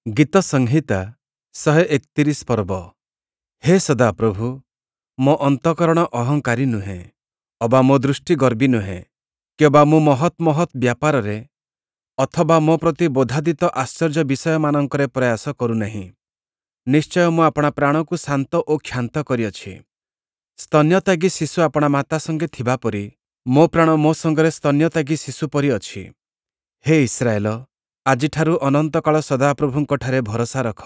ଗୀତସଂହିତା 131 ପର୍ବ। ହେ ସଦାପ୍ରଭୁ, ମୋ ଅନ୍ତଃକରଣ ଅହଙ୍କାରୀ ନୁହେଁ, ଅବା ମୋ ଦୃଷ୍ଟି ଗର୍ବୀ ନୁହେଁ, କିଅବା ମୁଁ ମହତ୍ ମହତ୍ ବ୍ୟାପାରରେ ଅଥବା ମୋ ପ୍ରତି ବୋଧାଦିତ ଆଶ୍ଚର୍ଯ୍ୟ ବିଷୟମାନଙ୍କରେ ପ୍ରୟାସ କରୁ ନାହିଁ। ନିଶ୍ଚୟ ମୁଁ ଆପଣା ପ୍ରାଣକୁ ଶାନ୍ତ ଓ କ୍ଷାନ୍ତ କରିଅଛି। ସ୍ତନ୍ୟତ୍ୟାଗୀ ଶିଶୁ ଆପଣା ମାତା ସଙ୍ଗେ ଥିବା ପରି ମୋ ପ୍ରାଣ ମୋ ସଙ୍ଗରେ ସ୍ତନ୍ୟତ୍ୟାଗୀ ଶିଶୁ ପରି ଅଛି। ହେ ଇସ୍ରାଏଲ, ଆଜିଠାରୁ ଅନନ୍ତକାଳ ସଦାପ୍ରଭୁଙ୍କଠାରେ ଭରସା ରଖ।